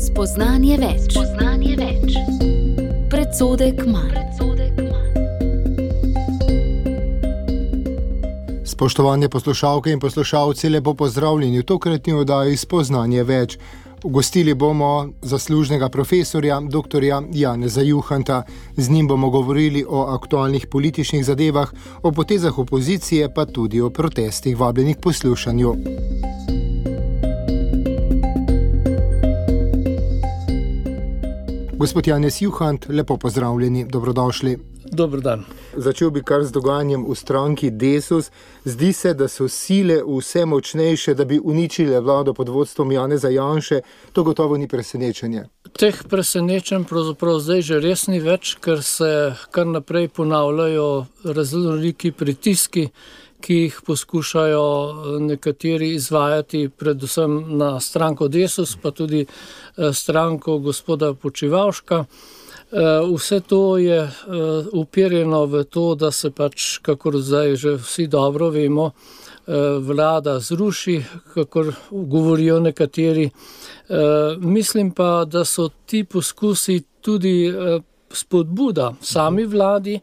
Spoznanje več. Predsodek manj. Spoštovane poslušalke in poslušalci, lepo pozdravljeni v tokratni oddaji Spoznanje več. Ugostili bomo zaslužnega profesorja, dr. Janeza Juhanta. Z njim bomo govorili o aktualnih političnih zadevah, o potezah opozicije, pa tudi o protestih, vabljenih k poslušanju. Gospod Janez Juhant, lepo pozdravljeni, dobrodošli. Dober dan. Začel bi kar z dogajanjem v stranki Desus. Zdi se, da so sile vse močnejše, da bi uničile vlado pod vodstvom Janeza Janše. To gotovo ni presenečenje. Teh presenečenj pravzaprav zdaj že res ni več, ker se kar naprej ponavljajo raznoliki pritiski, ki jih poskušajo nekateri izvajati, predvsem na stranko Desus, pa tudi stranko gospoda Počivalška. Vse to je uperjeno v to, da se pač, kakor zdaj že vsi dobro vemo, vlada zruši, kakor govorijo nekateri. Mislim pa, da so ti poskusi tudi spodbuda sami vladi,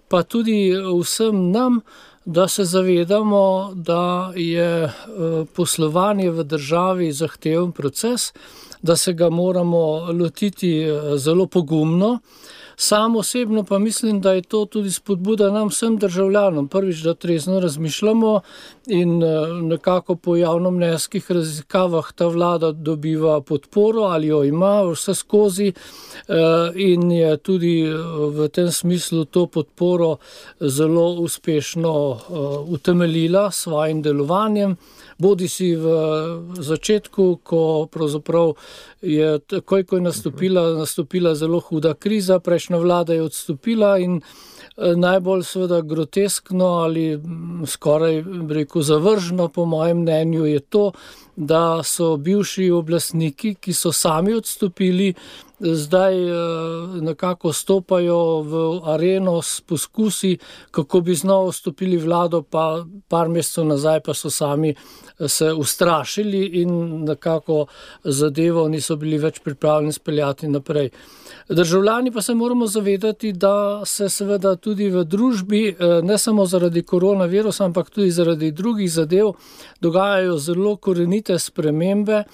pa tudi vsem nam, da se zavedamo, da je poslovanje v državi zahteven proces, da se ga moramo lotiti zelo pogumno. Sam osebno pa mislim, da je to tudi spodbuda nam vsem državljanom. Prvič, da trezno razmišljamo in nekako po javnomnenjskih raziskavah ta vlada dobiva podporo ali jo ima vse skozi in je tudi v tem smislu to podporo zelo uspešno utemeljila s svojim delovanjem. Bodi si v začetku, ko pravzaprav je takoj, ko je nastopila zelo huda kriza, prejšnja vlada je odstopila in najbolj seveda groteskno ali skoraj zavržno po mojem mnenju je to, da so bivši oblastniki, ki so sami odstopili, zdaj nekako stopajo v areno s poskusi, kako bi znova vstopili vlado, pa par mesecev nazaj pa so sami se ustrašili in nekako zadevo niso bili več pripravljeni speljati naprej. Državljani pa se moramo zavedati, da se seveda tudi v družbi, ne samo zaradi koronavirusa, ampak tudi zaradi drugih zadev, dogajajo zelo korenite spremembe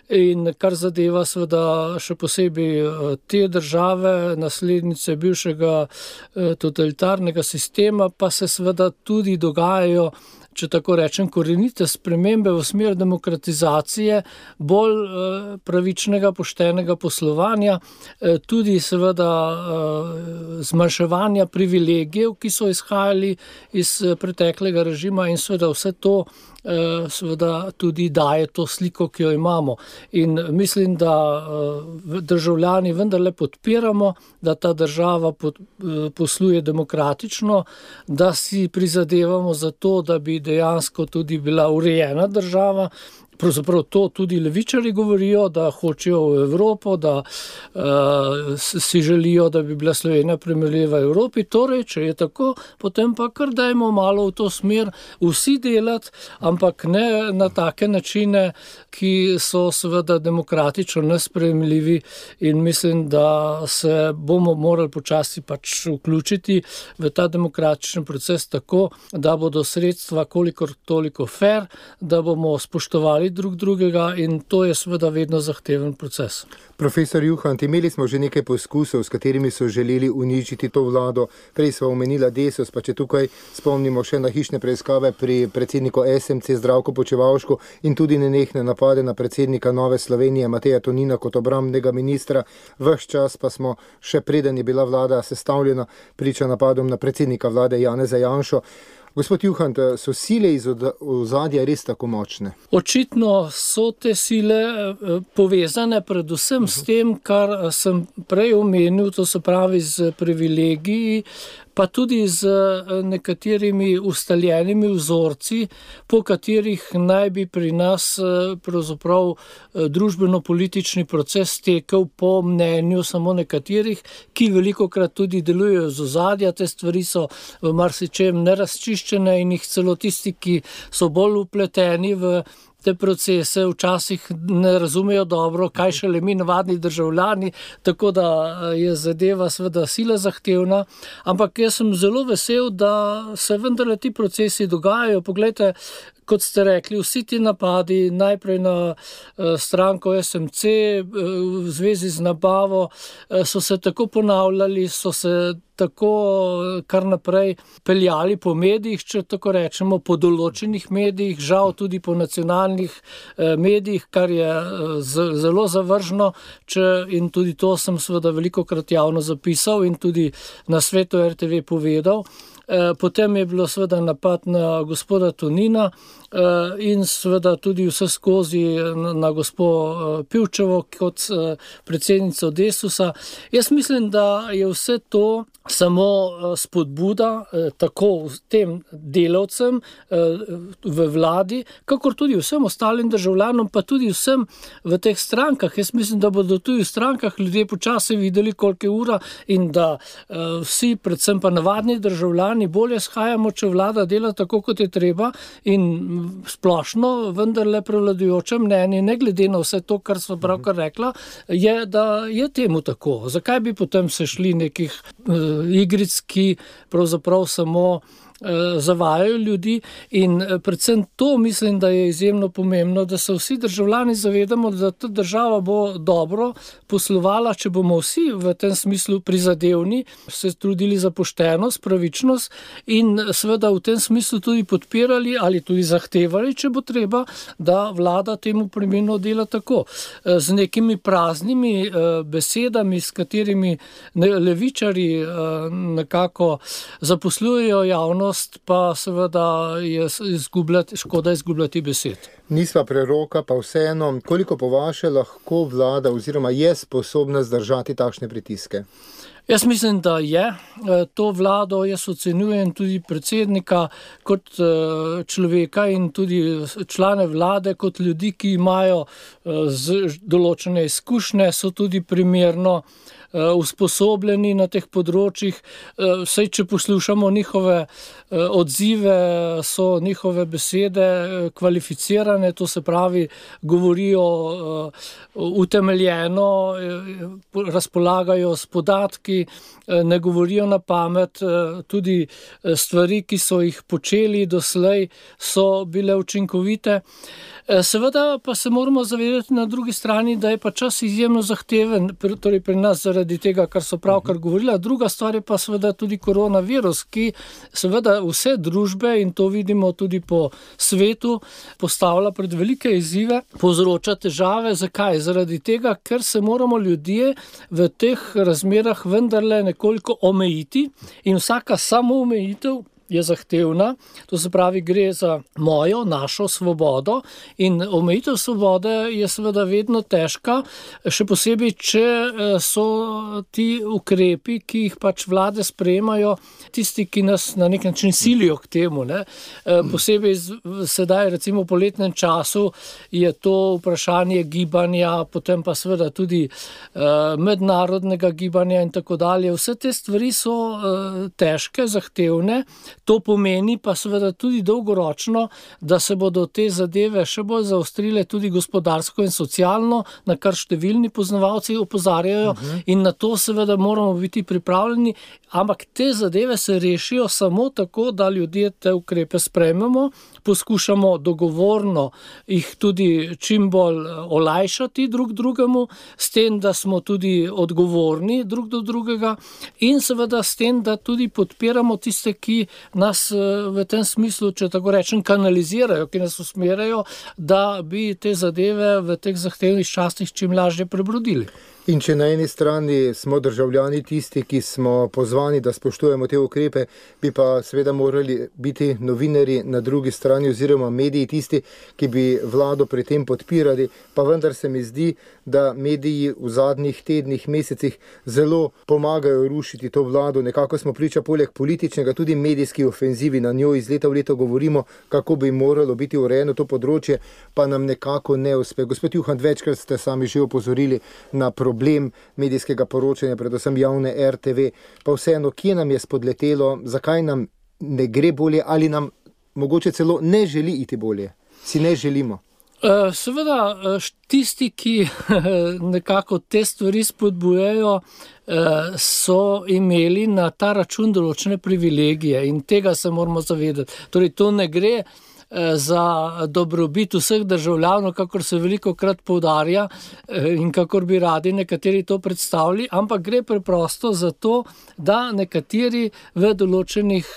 in kar zadeva seveda še posebej te države, naslednice bivšega totalitarnega sistema, pa se seveda tudi dogajajo, če tako rečem, korenite spremembe v smer demokratizacije, bolj pravičnega, poštenega poslovanja, tudi seveda zmanjševanja privilegijev, ki so izhajali iz preteklega režima in seveda vse to seveda tudi daje to sliko, ki jo imamo. In mislim, da državljani vendarle podpiramo, da ta država posluje demokratično, da si prizadevamo za to, da bi dejansko tudi bila urejena država. Pravzaprav to tudi levičarji govorijo, da hočejo v Evropo, da si želijo, da bi bila Slovenija primerljiva Evropi. Torej, če je tako, potem pa kar dajmo malo v to smer vsi delati, ampak ne na take načine, ki so seveda demokratično nesprejemljivi in mislim, da se bomo morali počasi pač vključiti v ta demokratični proces tako, da bodo sredstva kolikor toliko fair, da bomo spoštovali drug drugega in to je seveda vedno zahteven proces. Profesor Juhant, imeli smo že nekaj poskusov, s katerimi so želeli uničiti to vlado. Prej sva omenila Desus, pa če tukaj spomnimo še na hišne preiskave pri predsedniku SMC Zdravku Počivalšku in tudi nenehne napade na predsednika Nove Slovenije Mateja Tonina kot obrambnega ministra. Ves čas pa smo, še preden je bila vlada sestavljena, priča napadom na predsednika vlade Janeza Janšo. Gospod Juhant, so sile iz ozadja res tako močne? Očitno so te sile povezane predvsem s tem, kar sem prej omenil, to se pravi z privilegiji, pa tudi z nekaterimi ustaljenimi vzorci, po katerih naj bi pri nas pravzaprav družbeno-politični proces tekel po mnenju samo nekaterih, ki velikokrat tudi delujejo z ozadja. Te stvari so v marsičem nerazčiščene in jih celo tisti, ki so bolj vpleteni v te procese včasih ne razumejo dobro, kaj šele mi navadni državljani, tako da je zadeva seveda sila zahtevna, ampak jaz sem zelo vesel, da se vendarle ti procesi dogajajo. Poglejte, kot ste rekli, vsi ti napadi, najprej na stranko SMC v zvezi z nabavo, so se tako ponavljali, so se tako kar naprej peljali po medijih, če tako rečemo, po določenih medijih, žal tudi po nacionalnih medijih, kar je zelo zavržno, in tudi to sem seveda velikokrat javno zapisal in tudi na Svetu RTV povedal. Potem je bilo seveda napad na gospoda Tonina in seveda tudi vse skozi na gospo Pivčevo kot predsednico Desusa. Jaz mislim, da je vse to samo spodbuda tako tem delavcem v vladi, kakor tudi vsem ostalim državljanom, pa tudi vsem v teh strankah. Jaz mislim, da bodo tudi v strankah ljudje počasi videli, koliko je ura in da vsi, predvsem pa navadni državljani, bolje shajamo, če vlada dela tako, kot je treba, in splošno vendarle prevladujoče mnenje, ne glede na vse to, kar so pravkar rekla, je, da je temu tako. Zakaj bi potem se šli nekih igric, ki pravzaprav samo zavajajo ljudi, in predvsem to mislim, da je izjemno pomembno, da se vsi državljani zavedamo, da ta država bo dobro poslovala, če bomo vsi v tem smislu prizadevni, se trudili za poštenost, pravičnost in seveda v tem smislu tudi podpirali ali tudi zahtevali, če bo treba, da vlada temu primerno dela tako. Z nekimi praznimi besedami, s katerimi levičarji nekako zaposlujejo javnost, pa seveda je škoda izgubljati besed. Nisva preroka, pa vseeno, koliko po vaše lahko vlada oziroma je sposobna zdržati takšne pritiske? Jaz mislim, da je. To vlado jaz ocenjujem tudi predsednika kot človeka in tudi člane vlade kot ljudi, ki imajo določene izkušnje, so tudi primerno usposobljeni na teh področjih. Saj, če poslušamo njihove odzive, so njihove besede kvalificirane, to se pravi, govorijo utemeljeno, razpolagajo s podatki, ne govorijo na pamet, tudi stvari, ki so jih počeli doslej, so bile učinkovite. Seveda pa se moramo zavedati na drugi strani, da je pa čas izjemno zahteven, torej pri nas zaradi tega, kar so pravkar govorila. Druga stvar je pa seveda tudi koronavirus, ki seveda vse družbe, in to vidimo tudi po svetu, postavlja pred velike izzive, povzroča težave. Zakaj? Zaradi tega, ker se moramo ljudje v teh razmerah vendarle nekoliko omejiti in vsaka samoomejitev je zahtevna, to se pravi, gre za našo svobodo in omejitev svobode je seveda vedno težka, še posebej, če so ti ukrepi, ki jih pač vlade sprejemajo, tisti, ki nas na nek način silijo k temu. Posebej sedaj, recimo v poletnem času, je to vprašanje gibanja, potem pa seveda tudi mednarodnega gibanja in tako dalje. Vse te stvari so težke, zahtevne. To pomeni pa seveda tudi dolgoročno, da se bodo te zadeve še bolj zaostrile tudi gospodarsko in socialno, na kar številni poznavalci opozarjajo, in na to seveda moramo biti pripravljeni, ampak te zadeve se rešijo samo tako, da ljudje te ukrepe sprejmemo, poskušamo dogovorno jih tudi čim bolj olajšati drug drugemu, s tem, da smo tudi odgovorni drug do drugega in seveda s tem, da tudi podpiramo tiste, ki nas v tem smislu, če tako rečem, kanalizirajo, ki nas usmerjajo, da bi te zadeve v teh zahtevnih časih čim lažje prebrodili. In če na eni strani smo državljani tisti, ki smo pozvani, da spoštujemo te ukrepe, bi pa seveda morali biti novinarji na drugi strani oziroma mediji tisti, ki bi vlado pri tem podpirali, pa vendar se mi zdi, da mediji v zadnjih tednih, mesecih zelo pomagajo rušiti to vlado. Nekako smo priča poleg političnega tudi medijski ofenzivi, na njo iz leta v leto govorimo, kako bi moralo biti urejeno to področje, pa nam nekako ne uspe. Gospod Juhant, večkrat ste sami že opozorili na problem medijskega poročanja, predvsem javne RTV, pa vseeno, kje nam je spodletelo, zakaj nam ne gre bolje ali nam mogoče celo ne želi iti bolje, si ne želimo? Seveda, tisti, ki nekako te stvari spodbujajo, so imeli na ta račun določene privilegije in tega se moramo zavedati. Torej, to ne gre za dobrobit vseh državljanov, kakor se velikokrat poudarja in kakor bi radi nekateri to predstavili, ampak gre preprosto za to, da nekateri v določenih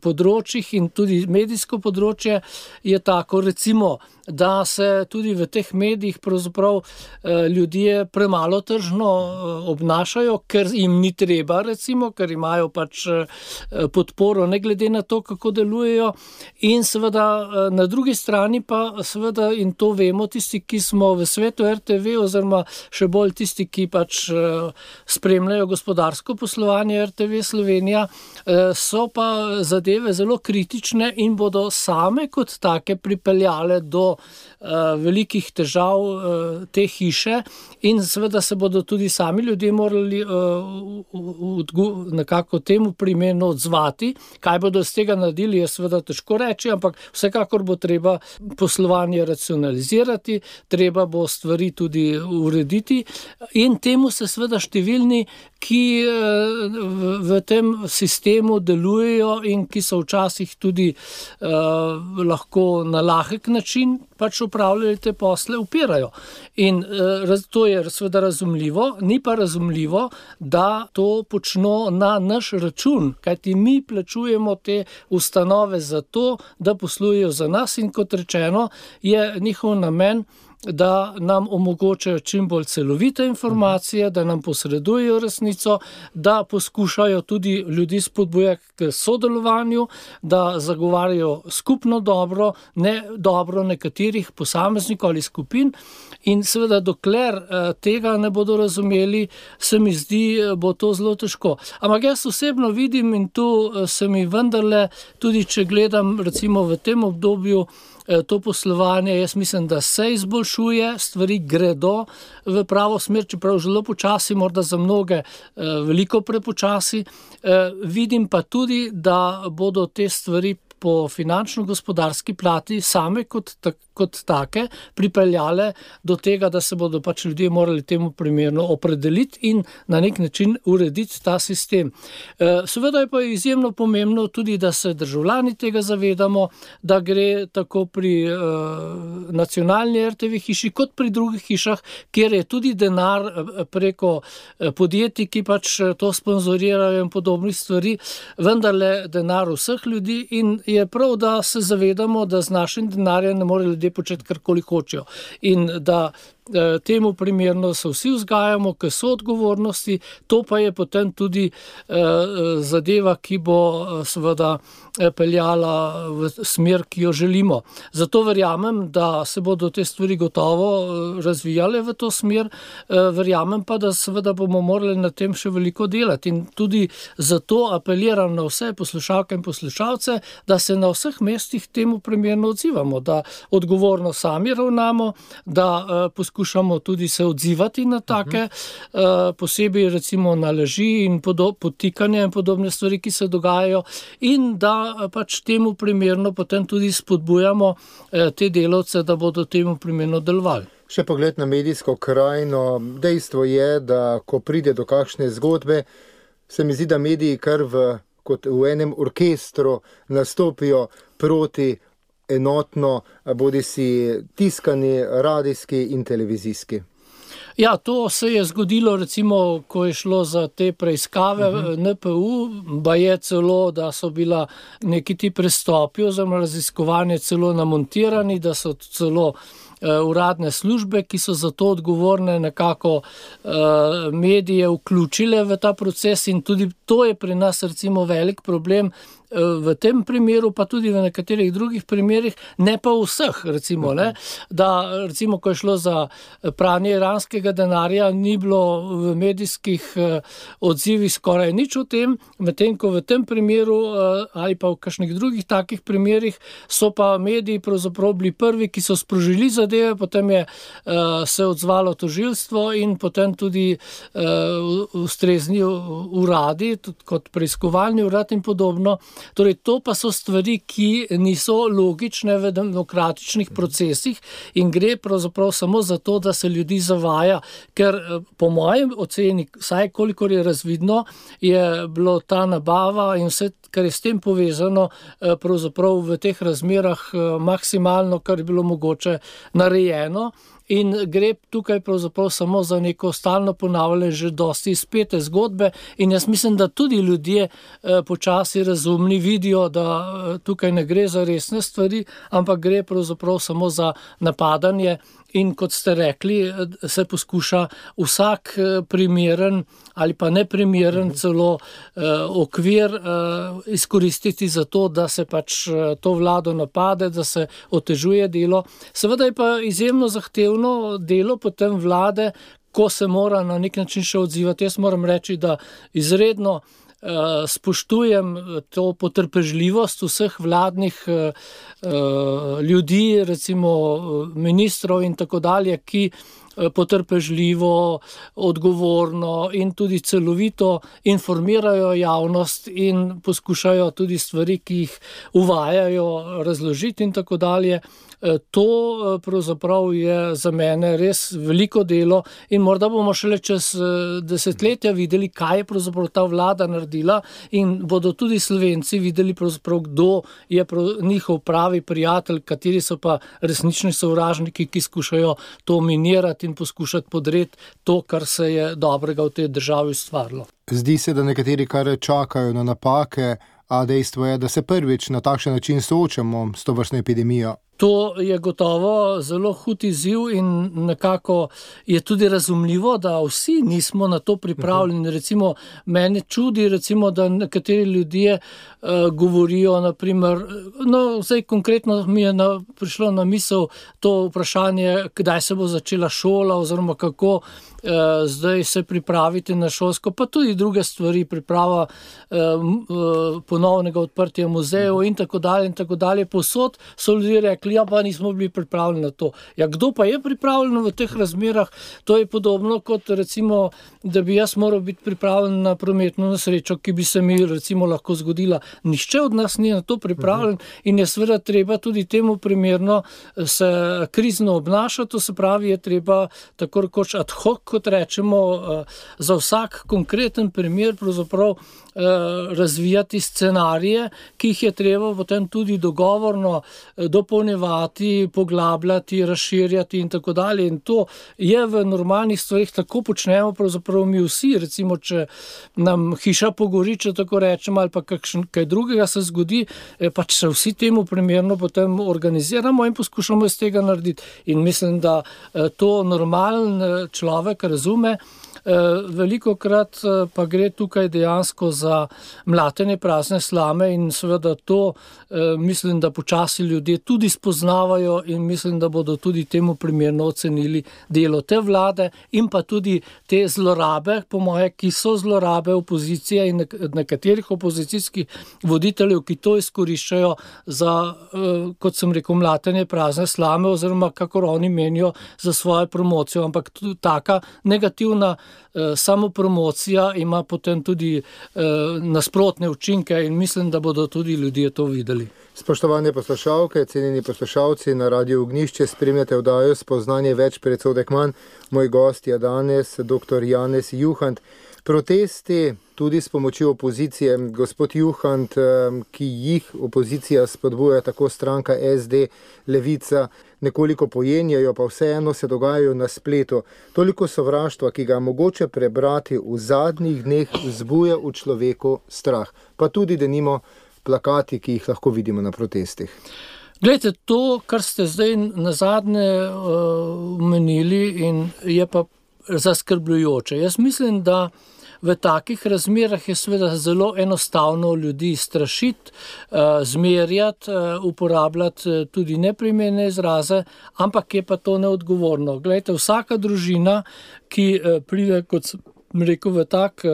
področjih in tudi medijsko področje je tako, recimo, da se tudi v teh medijih pravzaprav ljudje premalo tržno obnašajo, ker jim ni treba, recimo, ker imajo pač podporo, ne glede na to, kako delujejo. In seveda na drugi strani pa seveda, in to vemo tisti, ki smo v svetu RTV, oziroma še bolj tisti, ki pač spremljajo gospodarsko poslovanje RTV Slovenija, so pa zadeve zelo kritične in bodo same kot take pripeljale do velikih težav te hiše in seveda se bodo tudi sami ljudje morali nekako temu primerno odzvati. Kaj bodo z tega naredili, je seveda težko reči, ampak vsekakor bo treba poslovanje racionalizirati, treba bo stvari tudi urediti in temu se seveda številni, ki v tem sistemu delujejo in ki so včasih tudi lahko na lahek način pač upravljali te posle, upirajo. In to je seveda razumljivo, ni pa razumljivo, da to počno na naš račun, kajti mi plačujemo te ustanove za to, da poslujejo za nas in kot rečeno, je njihov namen, da nam omogočajo čim bolj celovite informacije, da nam posredujejo resnico, da poskušajo tudi ljudi spodbujati k sodelovanju, da zagovarjajo skupno dobro, ne dobro nekaterih posameznikov ali skupin. In seveda, dokler tega ne bodo razumeli, se mi zdi, bo to zelo težko. Ampak jaz osebno vidim in tu se mi vendarle, tudi če gledam recimo v tem obdobju, to poslovanje, jaz mislim, da se izboljšuje, stvari gredo v pravo smer, čeprav zelo počasi, morda za mnoge veliko prepočasi. Vidim pa tudi, da bodo te stvari po finančno-gospodarski plati same kot take pripeljale do tega, da se bodo pač ljudje morali temu primerno opredeliti in na nek način urediti ta sistem. Seveda je pa izjemno pomembno tudi, da se državljani tega zavedamo, da gre tako pri nacionalni RTV hiši kot pri drugih hišah, kjer je tudi denar preko podjetij, ki pač to sponzorirajo in podobnih stvari, vendarle denar vseh ljudi in je prav, da se zavedamo, da z našim denarjem ne more ljudje početi karkoli hočejo in da temu primerno se vsi vzgajamo k soodgovornosti, to pa je potem tudi zadeva, ki bo seveda peljala v smer, ki jo želimo. Zato verjamem, da se bodo te stvari gotovo razvijale v to smer, verjamem pa, da seveda bomo morali na tem še veliko delati in tudi zato apeliram na vse poslušalke in poslušalce, da se na vseh mestih temu primerno odzivamo, da odgovorno sami ravnamo, da poskušamo tudi se odzivati na take, posebej recimo na laži in podtikanje in podobne stvari, ki se dogajajo in da pač temu primerno potem tudi spodbujamo te delavce, da bodo temu primerno delovali. Še pogled na medijsko krajino. Dejstvo je, da ko pride do kakšne zgodbe, se mi zdi, da mediji kar kot v enem orkestru nastopijo proti enotno, bodisi tiskani, radijski in televizijski. Ja, to se je zgodilo recimo, ko je šlo za te preiskave NPU, baje celo, da so bila neki ti prestopi oziroma raziskovanje celo namontirani, da so celo uradne službe, ki so za to odgovorne, nekako medije vključile v ta proces in tudi to je pri nas recimo velik problem v tem primeru, pa tudi v nekaterih drugih primerih, ne pa vseh, recimo, ne, da recimo, ko je šlo za pranje iranskega denarja, ni bilo v medijskih odzivih skoraj nič o tem, medtem ko v tem primeru ali pa v kakšnih drugih takih primerih so pa mediji pravzaprav bili prvi, ki so sprožili zadeve, potem je se odzvalo tožilstvo in potem tudi ustrezni uradi, tudi kot preiskovalni urad in podobno. Torej, to pa so stvari, ki niso logične v demokratičnih procesih in gre pravzaprav samo za to, da se ljudi zavaja, ker po mojem oceni, vsaj kolikor je razvidno, je bilo ta nabava in vse, kar je s tem povezano, pravzaprav v teh razmerah maksimalno, kar je bilo mogoče narejeno. In gre tukaj pravzaprav samo za neko stalno ponavljanje že dosti izpete zgodbe in jaz mislim, da tudi ljudje počasi razumni vidijo, da tukaj ne gre za resne stvari, ampak gre pravzaprav samo za napadanje in kot ste rekli, se poskuša vsak primeren ali pa neprimeren celo okvir izkoristiti za to, da se pač to vlado napade, da se otežuje delo. Seveda je pa izjemno zahtevno delo potem vlade, ko se mora na nek način še odzivati. Jaz moram reči, da izredno spoštujem to potrpežljivost vseh vladnih ljudi, recimo ministrov in tako dalje, ki potrpežljivo, odgovorno in tudi celovito informirajo javnost in poskušajo tudi stvari, ki jih uvajajo, razložiti in tako dalje. To pravzaprav je za mene res veliko delo in morda bomo šele čez desetletja videli, kaj je pravzaprav ta vlada naredila in bodo tudi Slovenci videli pravzaprav, kdo je njihov pravi prijatelj, kateri so pa resnični sovražniki, ki skušajo to minirati in poskušati podreti to, kar se je dobrega v tej državi ustvarilo. Zdi se, da nekateri kar čakajo na napake, a dejstvo je, da se prvič na takšen način soočamo s tovrstno epidemijo. To je gotovo zelo hud izziv in nekako je tudi razumljivo, da vsi nismo na to pripravljeni. Recimo, mene čudi, recimo, da nekateri ljudje govorijo, naprimer, zdaj konkretno mi je prišlo na misel to vprašanje, kdaj se bo začela šola oziroma kako zdaj se pripraviti na šolsko, pa tudi druge stvari, priprava ponovnega odprtja muzejev in tako dalje. Povsod so ljudje rekli, ja, pa nismo bili pripravljeni na to. Ja, kdo pa je pripravljen v teh razmerah? To je podobno kot recimo, da bi jaz moral biti pripravljen na prometno nesrečo, ki bi se mi recimo lahko zgodila. Nihče od nas ni na to pripravljen in je seveda treba tudi temu primerno se krizno obnašati, to se pravi, je treba tako rekoč ad hoc, kot rečemo, za vsak konkreten primer pravzaprav razvijati scenarije, ki jih je treba potem tudi dogovorno dopolnjevati, poglabljati, razširjati in tako dalje. In to je v normalnih stvarih, tako počnemo pravzaprav mi vsi. Recimo, če nam hiša pogori, če tako rečemo, ali pa kaj drugega se zgodi, pač se vsi temu primerno potem organiziramo in poskušamo iz tega narediti. In mislim, da to normalen človek razume. Velikokrat pa gre tukaj dejansko za mlatenje prazne slame in seveda to mislim, da počasi ljudje tudi spoznavajo in mislim, da bodo tudi temu primerno ocenili delo te vlade in pa tudi te zlorabe, po moje, ki so zlorabe opozicije in nekaterih opozicijskih voditeljev, ki to izkoriščajo za, kot sem rekel, mlatenje prazne slame oziroma kakor oni menijo za svojo promocijo, ampak tudi taka negativna samopromocija ima potem tudi nasprotne učinke in mislim, da bodo tudi ljudje to videli. Spoštovane poslušalke, cenjeni poslušalci, na Radiu Ognjišče spremljate oddajo Spoznanje več, predsodek manj. Moj gost je danes dr. Janez Juhant. Protesti tudi s pomočjo opozicije, gospod Juhant, ki jih opozicija spodbuja, tako stranka SD, Levica, nekoliko pojenjajo, pa vseeno se dogajajo na spletu. Toliko sovraštva, ki ga mogoče prebrati v zadnjih dneh, vzbuja v človeku strah. Pa tudi denimo plakati, ki jih lahko vidimo na protestih. Glejte, to, kar ste zdaj nazadnje omenili, in je pa zaskrbljujoče. Jaz mislim, da v takih razmerah je seveda zelo enostavno ljudi strašiti, zmerjati, uporabljati tudi neprimerne izraze, ampak je pa to neodgovorno. Glejte, vsaka družina, ki pride, kot sem rekel, v tak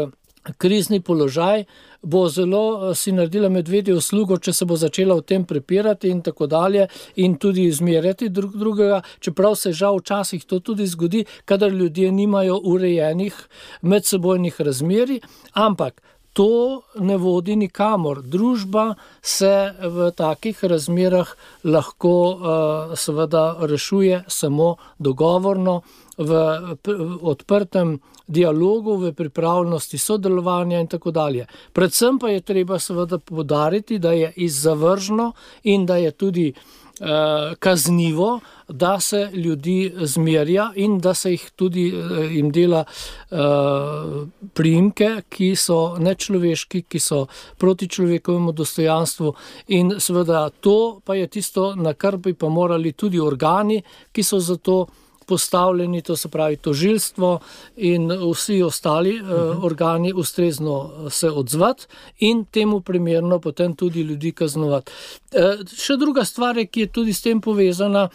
krizni položaj, bo zelo si naredila medvedjo uslugo, če se bo začela o tem prepirati in tako dalje in tudi zmerjati drugega, čeprav se žal včasih to tudi zgodi, kadar ljudje nimajo urejenih medsebojnih razmerij, ampak to ne vodi nikamor. Družba se v takih razmerah lahko seveda rešuje samo dogovorno, v odprtem dialogu, v pripravljenosti sodelovanja in tako dalje. Predvsem pa je treba seveda poudariti, da je izzavržno in da je tudi kaznivo, da se ljudi zmerja in da se jih tudi jim dela priimke, ki so nečloveški, ki so proti človekovemu dostojanstvu, in seveda to pa je tisto, na kar bi pa morali tudi organi, ki so za to postavljeni, to se pravi tožilstvo in vsi ostali organi, ustrezno se odzvati in temu primerno potem tudi ljudi kaznovati. Še druga stvar, ki je tudi s tem povezana,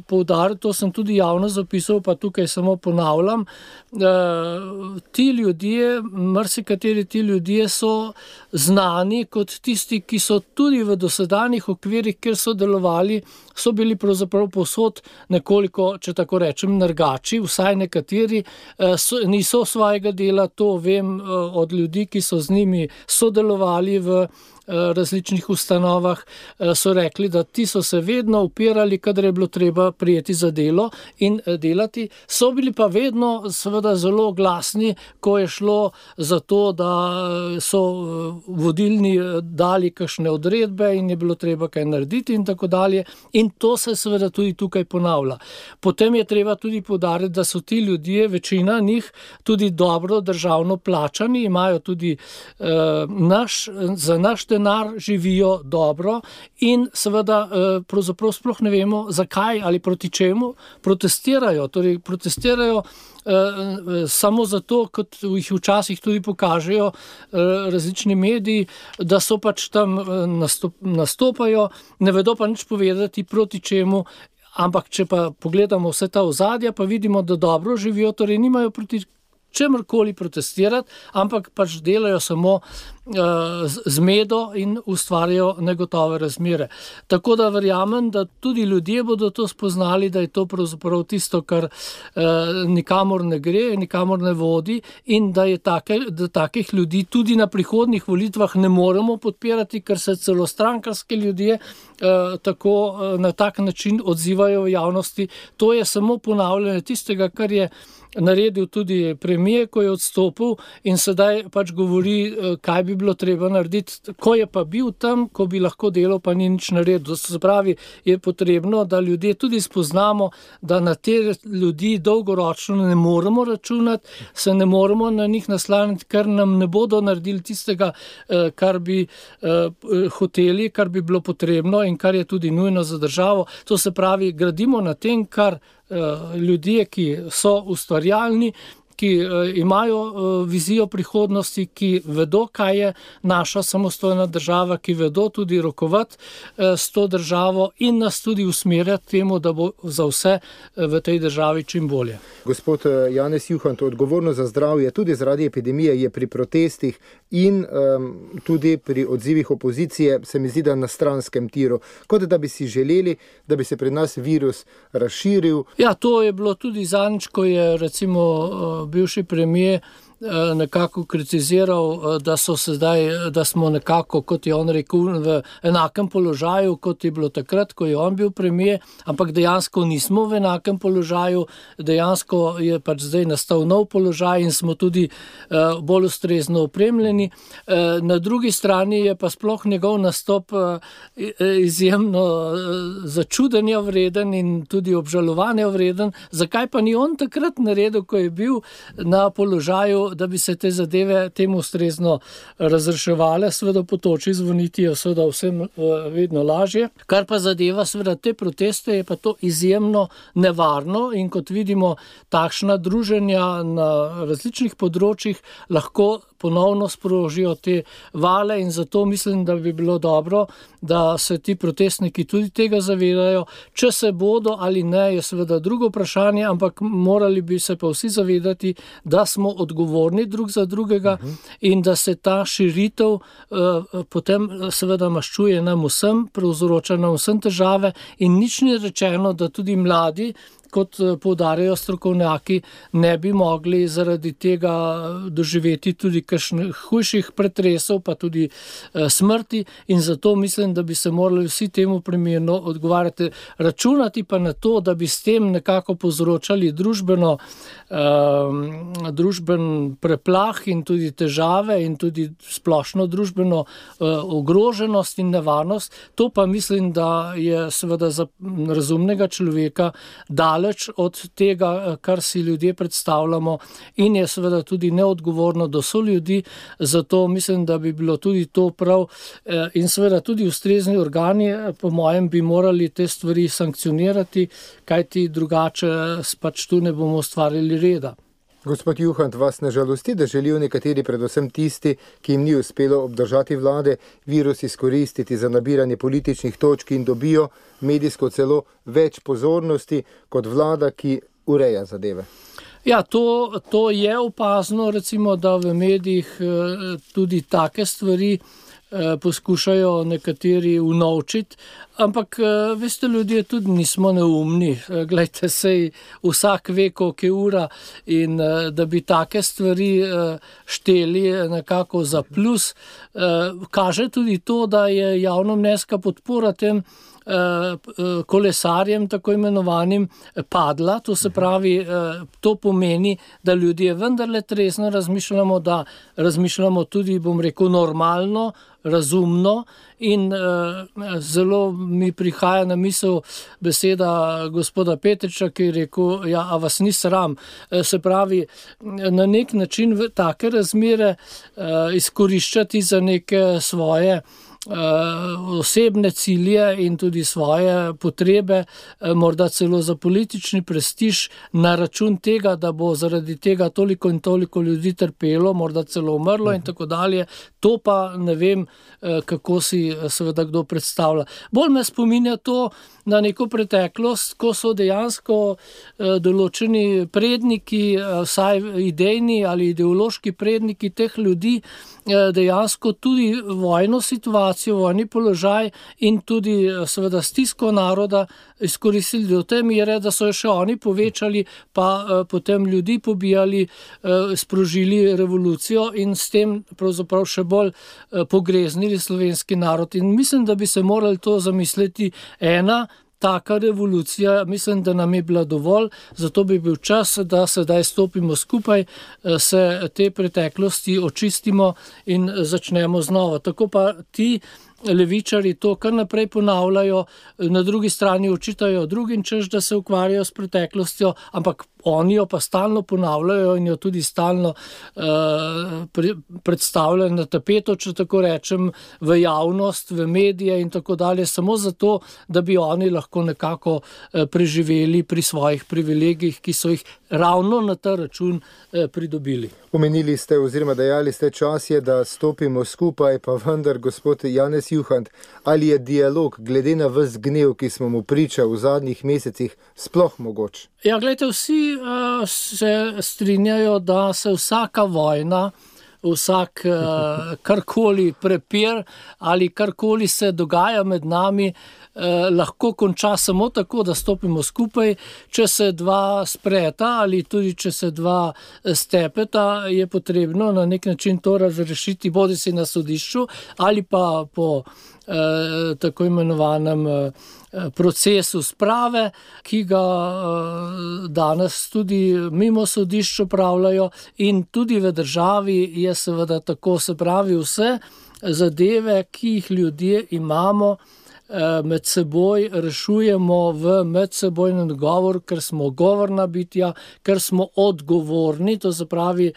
poudariti, to sem tudi javno zapisal, pa tukaj samo ponavljam, ti ljudje, marsikateri ti ljudje so znani kot tisti, ki so tudi v dosedanjih okvirih, kjer so delovali, so bili pravzaprav povsod nekoliko, če tako rečem, nergači, vsaj nekateri niso svojega dela, to vem od ljudi, ki so z njimi sodelovali v različnih ustanovah, so rekli, da ti so se vedno upirali, kadar je bilo treba prijeti za delo in delati. So bili pa vedno seveda zelo glasni, ko je šlo za to, da so vodilni dali kakšne odredbe in je bilo treba kaj narediti in tako dalje. In to se seveda tudi tukaj ponavlja. Potem je treba tudi poudariti, da so ti ljudje, večina njih, tudi dobro državno plačani, imajo tudi za naš denar, živijo dobro in seveda pravzaprav sploh ne vemo, zakaj ali proti čemu protestirajo. Torej protestirajo samo zato, kot jih včasih tudi pokažejo različni mediji, da so pač tam nastopajo, ne vedo pa nič povedati proti čemu, ampak če pa pogledamo vse ta ozadja, pa vidimo, da dobro živijo, torej nimajo proti čemrkoli protestirati, ampak pač delajo samo zmedo in ustvarjajo negotove razmere. Tako da verjamem, da tudi ljudje bodo to spoznali, da je to pravzaprav tisto, kar nikamor ne gre, nikamor ne vodi in da je da takih ljudi tudi na prihodnjih volitvah ne moremo podpirati, ker se celo strankarski ljudje tako na tak način odzivajo v javnosti. To je samo ponavljanje tistega, kar je naredil tudi premier, ko je odstopil in sedaj pač govori, kaj bi bilo treba narediti, ko je pa bil tam, ko bi lahko delal, pa ni nič naredil. Se pravi, je potrebno, da ljudje tudi spoznamo, da na te ljudi dolgoročno ne moremo računati, se ne moremo na njih naslaniti, ker nam ne bodo naredili tistega, kar bi hoteli, kar bi bilo potrebno in kar je tudi nujno za državo. To se pravi, gradimo na tem, kar ljudje, ki so ustvarjalni, ki imajo vizijo prihodnosti, ki vedo, kaj je naša samostojna država, ki vedo tudi rokovati s to državo in nas tudi usmerjati temu, da bo za vse v tej državi čim bolje. Gospod Janez Juhant, odgovornost za zdravje tudi zaradi epidemije je pri protestih in tudi pri odzivih opozicije, se mi zdi, da na stranskem tiru, kot da bi si želeli, da bi se pri nas virus razširil. Ja, to je bilo tudi zadnjič, ko je recimo bivši premier nekako kritiziral, da smo nekako, kot je on rekel, v enakem položaju, kot je bilo takrat, ko je on bil premier, ampak dejansko nismo v enakem položaju, dejansko je pač zdaj nastal nov položaj in smo tudi bolj ustrezno opremljeni. Na drugi strani je pa sploh njegov nastop izjemno začudenja vreden in tudi obžalovanja vreden. Zakaj pa ni on takrat naredil, ko je bil na položaju, da bi se te zadeve temu ustrezno razreševale? Seveda po toči zvoniti je seveda vsem vedno lažje. Kar pa zadeva seveda te proteste, je pa to izjemno nevarno in kot vidimo, takšna druženja na različnih področjih lahko ponovno sprožijo te vale in zato mislim, da bi bilo dobro, da se ti protestniki tudi tega zavedajo. Če se bodo ali ne, je seveda drugo vprašanje, ampak morali bi se pa vsi zavedati, da smo odgovorni drug za drugega in da se ta širitev potem seveda maščuje nam vsem, povzroča nam vsem težave in nič ni rečeno, da tudi mladi, kot poudarjajo strokovnjaki, ne bi mogli zaradi tega doživeti tudi kakšnih hujših pretresov, pa tudi smrti, in zato mislim, da bi se morali vsi temu primerno odgovarjati. Računati pa na to, da bi s tem nekako povzročali družben preplah in tudi težave in tudi splošno družbeno ogroženost in nevarnost. To pa mislim, da je seveda za razumnega človeka daleč od tega, kar si ljudje predstavljamo, in je seveda tudi neodgovorno do soljudi. Zato mislim, da bi bilo tudi to prav, in seveda tudi ustrezni organi, po mojem, bi morali te stvari sankcionirati, kajti drugače pač tu ne bomo ustvarili reda. Gospod Juhant, vas ne žalosti, da želijo nekateri, predvsem tisti, ki jim ni uspelo obdržati vlade, virus izkoristiti za nabiranje političnih točk in dobijo medijsko celo več pozornosti kot vlada, ki ureja zadeve? Ja, to je opazno, recimo, da v medijih tudi take stvari poskušajo nekateri unovčiti, ampak veste, ljudje tudi nismo neumni. Glejte, sej vsak ve, koliko je ura, in da bi take stvari šteli nekako za plus, kaže tudi to, da je javnomnenjska podpora tem kolesarjem, tako imenovanim, padla. To se pravi, to pomeni, da ljudje vendarle trezno razmišljamo, da razmišljamo tudi, bom rekel, normalno, razumno, in zelo mi prihaja na misel beseda gospoda Petriča, ki je rekel, ja, a vas ni sram. Se pravi, na nek način take razmere izkoriščati za neke svoje osebne cilje in tudi svoje potrebe, morda celo za politični prestiž, na račun tega, da bo zaradi tega toliko in toliko ljudi trpelo, morda celo umrlo in tako dalje. To pa ne vem, kako si seveda kdo predstavlja. Bolj me spominja to na neko preteklost, ko so dejansko določeni predniki, vsaj idejni ali ideološki predniki teh ljudi, dejansko tudi vojno situacijo, vojni položaj in tudi seveda stisko naroda izkoristili do te mere, da so jo še oni povečali, pa potem ljudi pobijali, sprožili revolucijo in s tem pravzaprav še bolj pogreznili slovenski narod. In mislim, da bi se morali to zamisliti. Taka revolucija, mislim, da nam je bila dovolj, zato bi bil čas, da sedaj stopimo skupaj, se te preteklosti očistimo in začnemo znova. Tako pa ti levičari to kar naprej ponavljajo, na drugi strani očitajo drugim, češ, da se ukvarjajo s preteklostjo, ampak oni jo pa stalno ponavljajo in jo tudi stalno predstavljajo na tapeto, če tako rečem, v javnost, v medije in tako dalje, samo zato, da bi oni lahko nekako preživeli pri svojih privilegijih, ki so jih ravno na ta račun pridobili. Omenili ste oziroma dejali ste, čas je, da stopimo skupaj, pa vendar, gospod Janez Juhant, ali je dialog glede na ves gnev, ki smo mu priča v zadnjih mesecih, sploh mogoč? Ja, gledajte, vsi se strinjajo, da se vsaka vojna, vsak karkoli prepir ali karkoli se dogaja med nami, lahko konča samo tako, da stopimo skupaj. Če se dva spreta ali tudi če se dva stepeta, je potrebno na nek način to razrešiti, bodisi na sodišču ali pa po tako imenovanem procesu sprave, ki ga danes tudi mimo sodišč opravljajo, in tudi v državi je seveda tako, se pravi, vse zadeve, ki jih ljudje imamo, med seboj rešujemo v medsebojnem dogovoru, ker smo govorna bitja, ker smo odgovorni, to se pravi,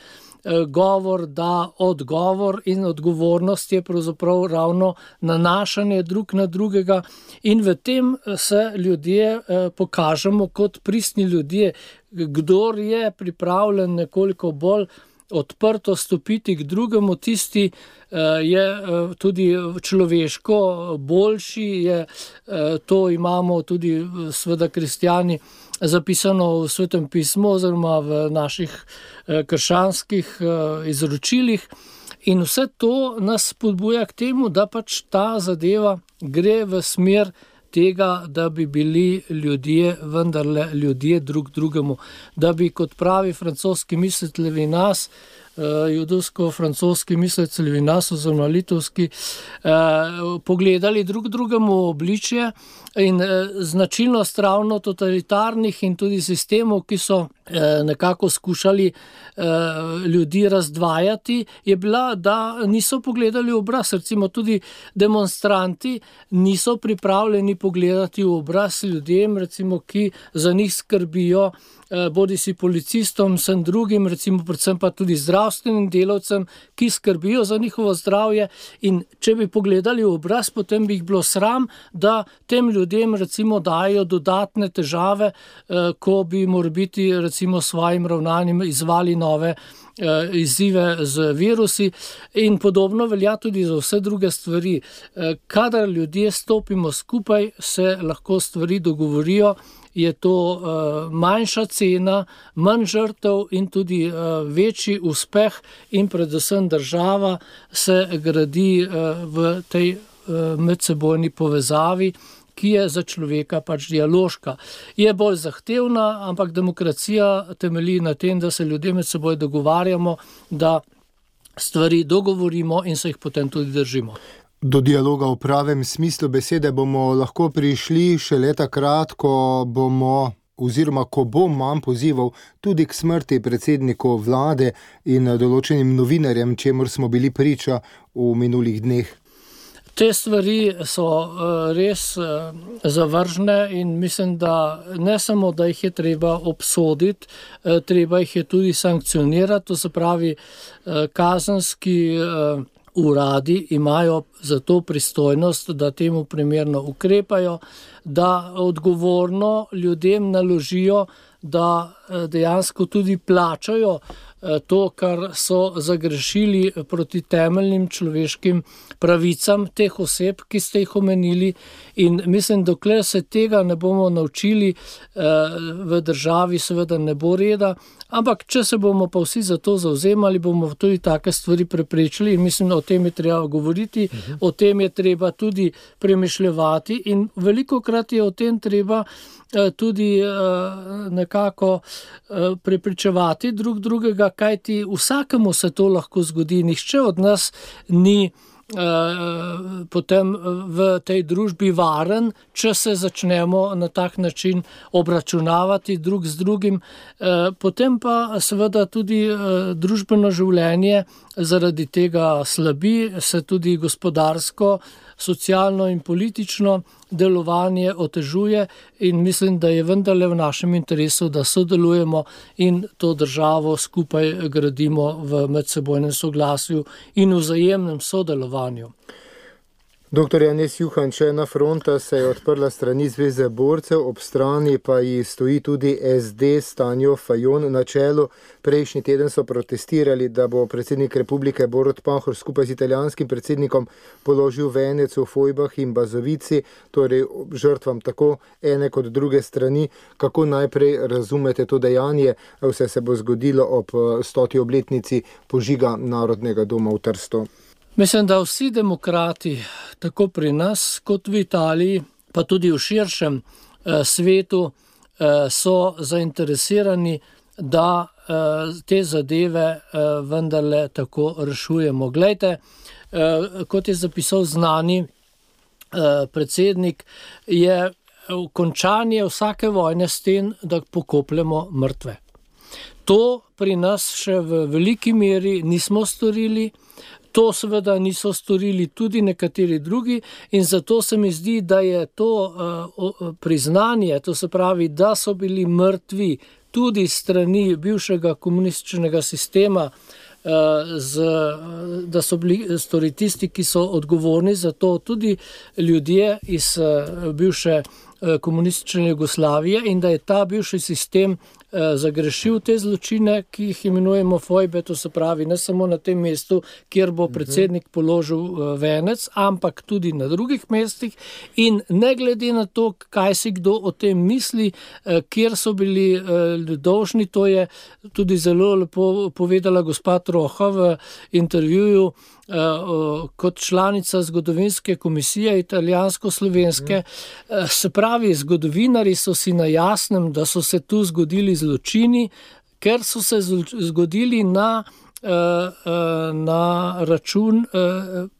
govor da odgovor, in odgovornost je pravzaprav ravno nanašanje drug na drugega, in v tem se ljudje pokažemo kot pristni ljudje. Kdor je pripravljen nekoliko bolj odprto stopiti k drugemu, tisti je tudi človeško boljši, to imamo tudi seveda kristjani zapisano v Svetem pismu oziroma v naših krščanskih izročilih, in vse to nas spodbuja k temu, da pač ta zadeva gre v smer tega, da bi bili ljudje, vendarle ljudje drug drugemu, da bi, kot pravi francoski mislec Levinas, judovsko-francoski mislec Levinas oziroma litovski, pogledali drug drugemu obličje in značilnost ravno totalitarnih in tudi sistemov, ki so nekako skušali ljudi razdvajati, je bila, da niso pogledali v obraz. Recimo tudi demonstranti niso pripravljeni pogledati v obraz ljudem, recimo, ki za njih skrbijo, bodisi policistom, vsem drugim, recimo predvsem pa tudi zdravstvenim delavcem, ki skrbijo za njihovo zdravje, in če bi pogledali v obraz, potem bi jih bilo sram, da tem ljudem recimo dajo dodatne težave, ko bi morebiti recimo svojim ravnanjem izvali nove izzive z virusi, in podobno velja tudi za vse druge stvari. Kadar ljudje stopimo skupaj, se lahko stvari dogovorijo, je to manjša cena, manj žrtev in tudi večji uspeh, in predvsem država se gradi v tej medsebojni povezavi, ki je za človeka pač dialoška. Je bolj zahtevna, ampak demokracija temelji na tem, da se ljudje med seboj dogovarjamo, da stvari dogovorimo in se jih potem tudi držimo. Do dialoga v pravem smislu besede bomo lahko prišli šele takrat, ko bo manj pozivov tudi k smrti predsedniku vlade in določenim novinarjem, čemur smo bili priča v minulih dneh. Te stvari so res zavržne in mislim, da ne samo, da jih je treba obsoditi, treba jih je tudi sankcionirati, to se pravi, kazenski uradi imajo za to pristojnost, da temu primerno ukrepajo, da odgovorno ljudem naložijo, da dejansko tudi plačajo to, kar so zagrešili proti temeljnim človeškim pravicam teh oseb, ki ste jih omenili, in mislim, dokler se tega ne bomo naučili, v državi seveda ne bo reda, ampak če se bomo pa vsi za to zavzemali, bomo tudi take stvari preprečili, in mislim, o tem je treba govoriti, o tem je treba tudi premišljevati, in velikokrat je o tem treba tudi nekako prepričevati drug drugega, kajti vsakemu se to lahko zgodi, nihče od nas ni potem v tej družbi varen, če se začnemo na tak način obračunavati drug z drugim. Potem pa seveda tudi družbeno življenje zaradi tega slabi, se tudi gospodarsko, socialno in politično delovanje otežuje, in mislim, da je vendarle v našem interesu, da sodelujemo in to državo skupaj gradimo v medsebojnem soglasju in vzajemnem sodelovanju. Dr. Janez Juhan, če ena fronta se je odprla strani Zveze borcev, ob strani pa ji stoji tudi SD s Tanjo Fajon na čelu. Prejšnji teden so protestirali, da bo predsednik republike Borut Pahor skupaj z italijanskim predsednikom položil venec v Fojbah in Bazovici, torej žrtvam tako ene kot druge strani. Kako najprej razumete to dejanje? Vse se bo zgodilo ob 100. obletnici požiga Narodnega doma v Trstu. Mislim, da vsi demokrati, tako pri nas kot v Italiji, pa tudi v širšem svetu, so zainteresirani, da te zadeve vendarle tako rešujemo. Glejte, kot je zapisal znani predsednik, je končanje vsake vojne s tem, da pokopljemo mrtve. To pri nas še v veliki meri nismo storili. To seveda niso storili tudi nekateri drugi, in zato se mi zdi, da je to priznanje, to se pravi, da so bili mrtvi tudi strani bivšega komunističnega sistema, da so bili stori tisti, ki so odgovorni za to, tudi ljudje iz bivše komunistične Jugoslavije, in da je ta bivši sistem zagrešil te zločine, ki jih imenujemo fojbe, to se pravi ne samo na tem mestu, kjer bo predsednik položil venec, ampak tudi na drugih mestih, in ne glede na to, kaj si kdo o tem misli, kjer so bili dolžni, to je tudi zelo lepo povedala gospa Troha v intervjuju kot članica zgodovinske komisije italijansko-slovenske. Se pravi, zgodovinari so si na jasnem, da so se tu zgodili zločini, ker so se zgodili na račun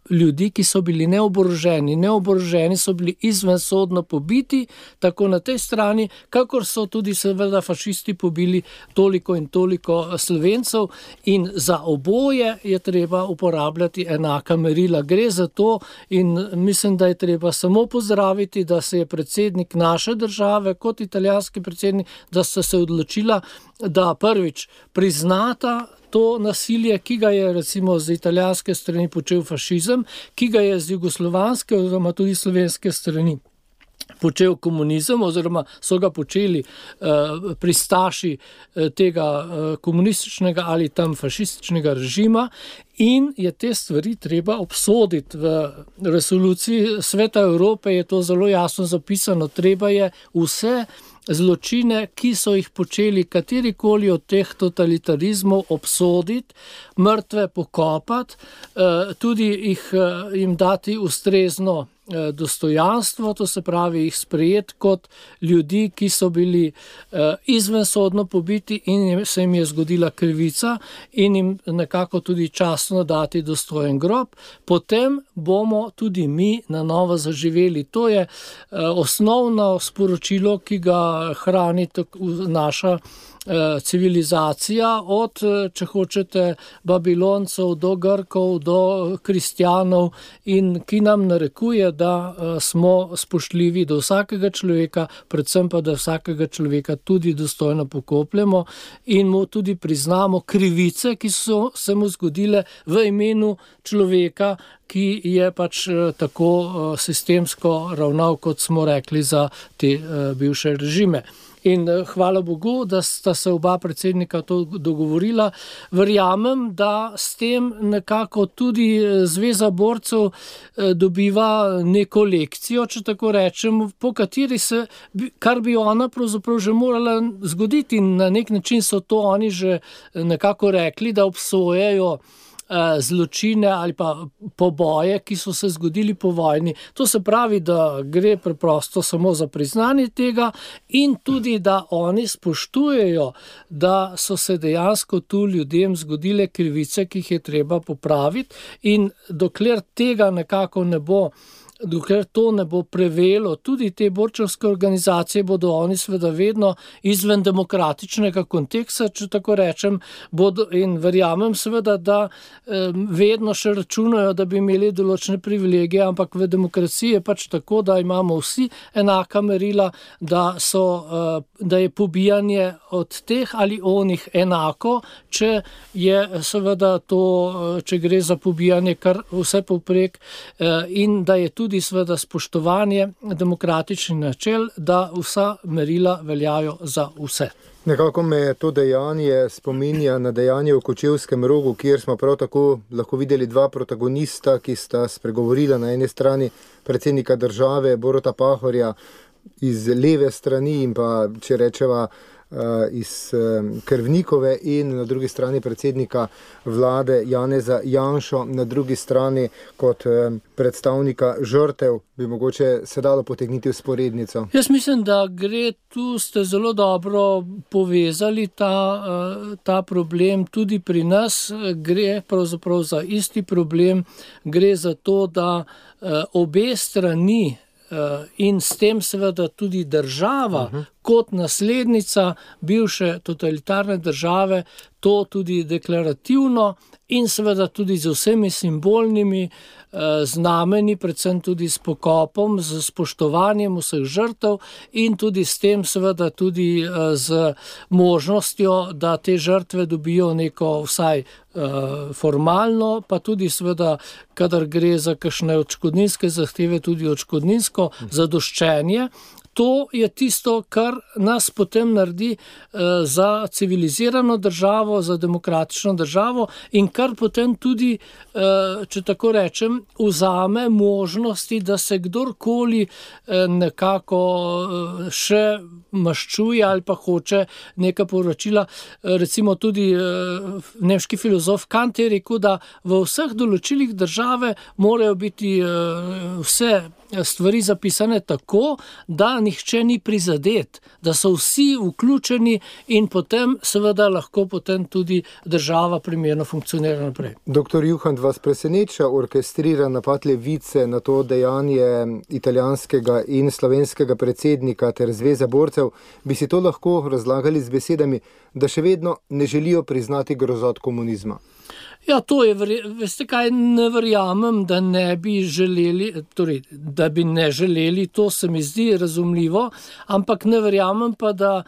ljudi, ki so bili neoboroženi. Neoboroženi so bili izvensodno pobiti, tako na tej strani, kakor so tudi seveda fašisti pobili toliko in toliko Slovencev, in za oboje je treba uporabljati enaka merila. Gre za to in mislim, da je treba samo pozdraviti, da se je predsednik naše države kot italijanski predsednik, da sta se odločila, da prvič priznata to nasilje, ki ga je recimo z italijanske strani počel fašizem, ki ga je z jugoslovanske oziroma tudi slovenske strani počel komunizem, oziroma so ga počeli pristaši tega komunističnega ali tam fašističnega režima, in je te stvari treba obsoditi. V resoluciji Sveta Evrope je to zelo jasno zapisano. Treba je vse zločine, ki so jih počeli katerikoli od teh totalitarizmov, obsoditi, mrtve pokopati, tudi jim dati ustrezno dostojanstvo, to se pravi jih sprejeti kot ljudi, ki so bili izvensodno pobiti in se jim je zgodila krivica, in jim nekako tudi častno dati dostojen grob. Potem bomo tudi mi na novo zaživeli. To je osnovno sporočilo, ki ga hrani naša civilizacija, od, če hočete, Babiloncev do Grkov, do kristjanov, in ki nam narekuje, da smo spoštljivi do vsakega človeka, predvsem pa, da vsakega človeka tudi dostojno pokopljemo in mu tudi priznamo krivice, ki so se mu zgodile v imenu človeka, ki je pač tako sistemsko ravnal, kot smo rekli, za te bivše režime. In hvala Bogu, da sta se oba predsednika to dogovorila. Verjamem, da s tem nekako tudi Zveza borcev dobiva neko lekcijo, če tako rečem, po kateri kar bi ona pravzaprav že morala zgoditi, in na nek način so to oni že nekako rekli, da obsojajo zločine ali pa poboje, ki so se zgodili po vojni. To se pravi, da gre preprosto samo za priznanje tega, in tudi, da oni spoštujejo, da so se dejansko tu ljudem zgodile krivice, ki jih je treba popraviti, in dokler tega nekako ne bo, dokler to ne bo prevelo, tudi te borčevske organizacije bodo oni seveda vedno izven demokratičnega konteksta, če tako rečem, in verjamem seveda, da vedno še računajo, da bi imeli določene privilegije, ampak v demokraciji je pač tako, da imamo vsi enaka merila, da je pobijanje od teh ali onih enako, če je seveda to, če gre za pobijanje kar vse povprek, in da je tudi seveda spoštovanje demokratičnih načel, da vsa merila veljajo za vse. Nekako me to dejanje spominja na dejanje v Kočevskem Rogu, kjer smo prav tako lahko videli dva protagonista, ki sta spregovorila na eni strani predsednika države Boruta Pahorja iz leve strani in pa, če rečeva, iz Krvnikove, in na drugi strani predsednika vlade Janeza Janšo, na drugi strani kot predstavnika žrtev, bi mogoče se dalo potegniti vzporednico. Jaz mislim, da gre tu, ste zelo dobro povezali ta problem tudi pri nas. Gre pravzaprav za isti problem, gre za to, da obe strani in s tem seveda tudi država kot naslednica bivše totalitarne države to tudi deklarativno in seveda tudi z vsemi simbolnimi znameni, predvsem tudi s pokopom, z spoštovanjem vseh žrtev in tudi s tem seveda tudi z možnostjo, da te žrtve dobijo neko vsaj formalno, pa tudi seveda, kadar gre za kakšne odškodninske zahteve, tudi odškodninsko zadoščenje. to je tisto, kar nas potem naredi za civilizirano državo, za demokratično državo in kar potem tudi, če tako rečem, vzame možnosti, da se kdorkoli nekako še maščuje ali pa hoče neka poročila. Recimo tudi nemški filozof Kant je rekel, da v vseh določilih države morajo biti vse stvari zapisane tako, da nihče ni prizadet, da so vsi vključeni in potem seveda lahko potem tudi država primerno funkcionira naprej. Doktor Juhant, vas preseneča orkestriran napad levice na to dejanje italijanskega in slovenskega predsednika ter Zveze borcev? Bi si to lahko razlagali z besedami, da še vedno ne želijo priznati grozot komunizma? Ja, to je, veste kaj, ne verjamem, da ne bi želeli, torej, da bi ne želeli, to se mi zdi razumljivo, ampak ne verjamem pa, da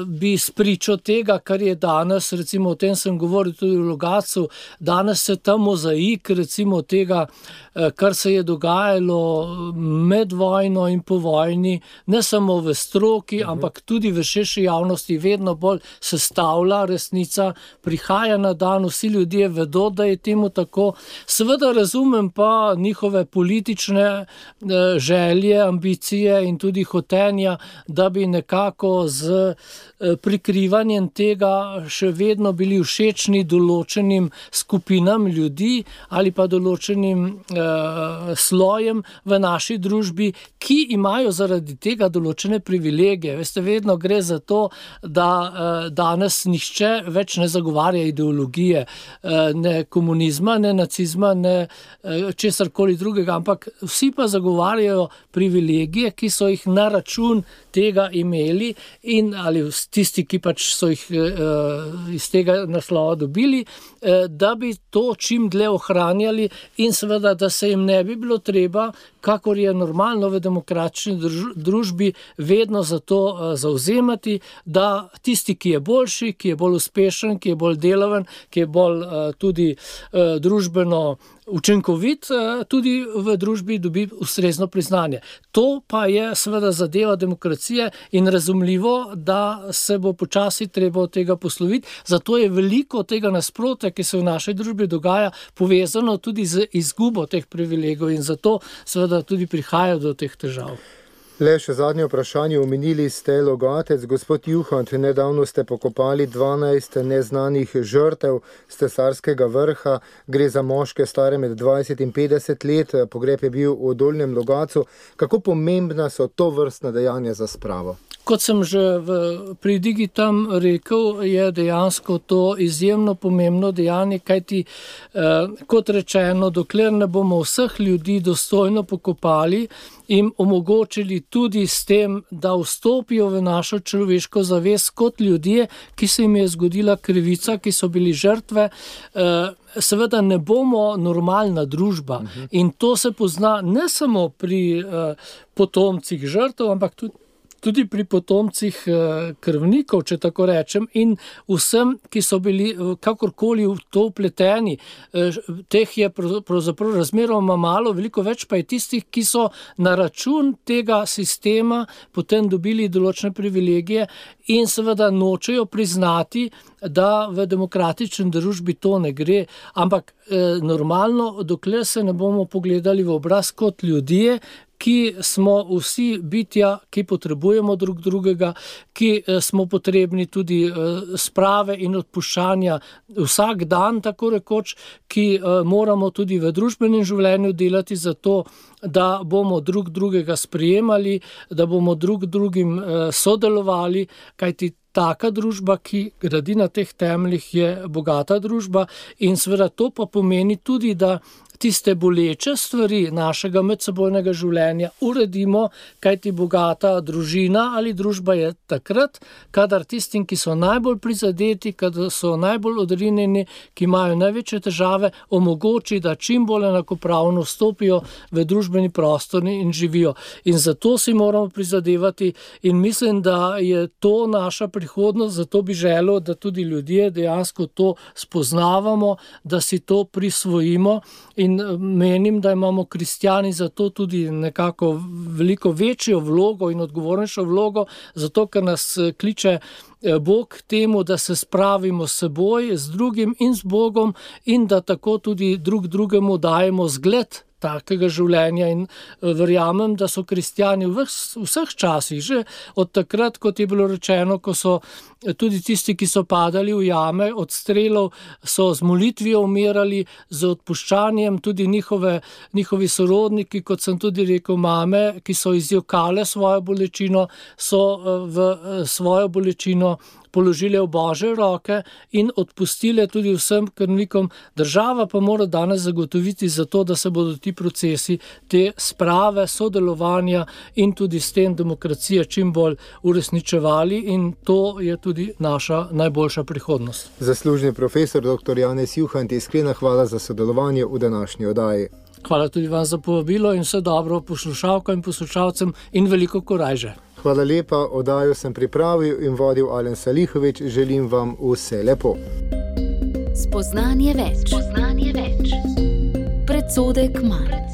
bi spričo tega, kar je danes, recimo o tem sem govoril tudi v Logatcu, danes se ta mozaik, recimo tega, kar se je dogajalo med vojno in po vojni, ne samo v stroki, ampak tudi v širši javnosti, vedno bolj sestavlja resnica, prihaja na dan, vsi ljudje vedo, da je temu tako. Seveda razumem pa njihove politične želje, ambicije in tudi hotenja, da bi nekako z prikrivanjem tega še vedno bili všečni določenim skupinam ljudi ali pa določenim slojem v naši družbi, ki imajo zaradi tega določene privilegije. Veste, vedno gre za to, da danes nihče več ne zagovarja ideologije, ne komunizma, ne nacizma, ne česarkoli drugega, ampak vsi pa zagovarjajo privilegije, ki so jih na račun tega imeli in ali tisti, ki pač so jih iz tega naslova dobili, da bi to čim dlje ohranjali in seveda, da se jim ne bi bilo treba, kakor je normalno v demokratični družbi, vedno za to zavzemati, da tisti, ki je boljši, ki je bolj uspešen, ki je bolj delaven, ki je bolj tudi družbeno učinkovit, tudi v družbi dobi ustrezno priznanje. To pa je seveda zadeva demokracije in razumljivo, da se bo počasi treba od tega posloviti. Zato je veliko tega nasprotja, ki se v naši družbi dogaja, povezano tudi z izgubo teh privilegijev in zato seveda tudi prihaja do teh težav. Le še zadnje vprašanje, omenili ste Logatec. Gospod Juhant, nedavno ste pokopali 12 neznanih žrtev s Cesarskega vrha. Gre za moške stare med 20 in 50 let. Pogreb je bil v Dolnjem Logatcu. Kako pomembna so to vrstna dejanja za spravo? Kot sem že pri Digitam rekel, je dejansko to izjemno pomembno dejanje, kajti kot rečeno, dokler ne bomo vseh ljudi dostojno pokopali in omogočili tudi s tem, da vstopijo v našo človeško zavest kot ljudje, ki se jim je zgodila krivica, ki so bili žrtve, seveda ne bomo normalna družba. In to se pozna ne samo pri potomcih žrtev, ampak tudi pri potomcih krvnikov, če tako rečem, in vsem, ki so bili kakorkoli v to vpleteni. Teh je pravzaprav razmeroma malo, veliko več pa je tistih, ki so na račun tega sistema potem dobili določene privilegije in seveda nočejo priznati, da v demokratični družbi to ne gre, ampak normalno, dokler se ne bomo pogledali v obraz kot ljudje, ki smo vsi bitja, ki potrebujemo drug drugega, ki smo potrebni tudi sprave in odpuščanja vsak dan, tako rekoč, ki moramo tudi v družbenem življenju delati za to, da bomo drug drugega sprejemali, da bomo drug drugim sodelovali, kajti taka družba, ki gradi na teh temeljih, je bogata družba in seveda to pa pomeni tudi, da tiste boleče stvari našega medsebojnega življenja uredimo, kajti bogata družina ali družba je takrat, kadar tistim, ki so najbolj prizadeti, kadar so najbolj odrinjeni, ki imajo največje težave, omogoči, da čim bolj enakopravno vstopijo v družbeni prostor in živijo. In zato si moramo prizadevati in mislim, da je to naša prihodnost, zato bi želel, da tudi ljudje dejansko to spoznavamo, da si to prisvojimo in menim, da imamo kristjani zato tudi nekako veliko večjo vlogo in odgovornejšo vlogo, zato ker nas kliče Bog k temu, da se spravimo s seboj, z drugim in z Bogom in da tako tudi drugemu dajemo zgled takega življenja in verjamem, da so kristjani v vseh časih, že od takrat, kot je bilo rečeno, ko so tudi tisti, ki so padali v jame od strelov, so z molitvijo umirali, z odpuščanjem, tudi njihovi sorodniki, kot sem tudi rekel, mame, ki so izjokale svojo bolečino, so v svojo bolečino položile v Božje roke in odpustile tudi vsem krvnikom. Država pa mora danes zagotoviti za to, da se bodo ti procesi, te sprave, sodelovanja in tudi s tem demokracije čim bolj uresničevali in to je tudi naša najboljša prihodnost. Zaslužni profesor dr. Janez Juhant, iskrena hvala za sodelovanje v današnji oddaji. Hvala tudi vam za povabilo in vse dobro poslušalkam in poslušalcem in veliko korajže. Hvala lepa, oddajo sem pripravil in vodil Alen Salihovič. Želim vam vse lepo. Spoznanje več. Predsodek manj.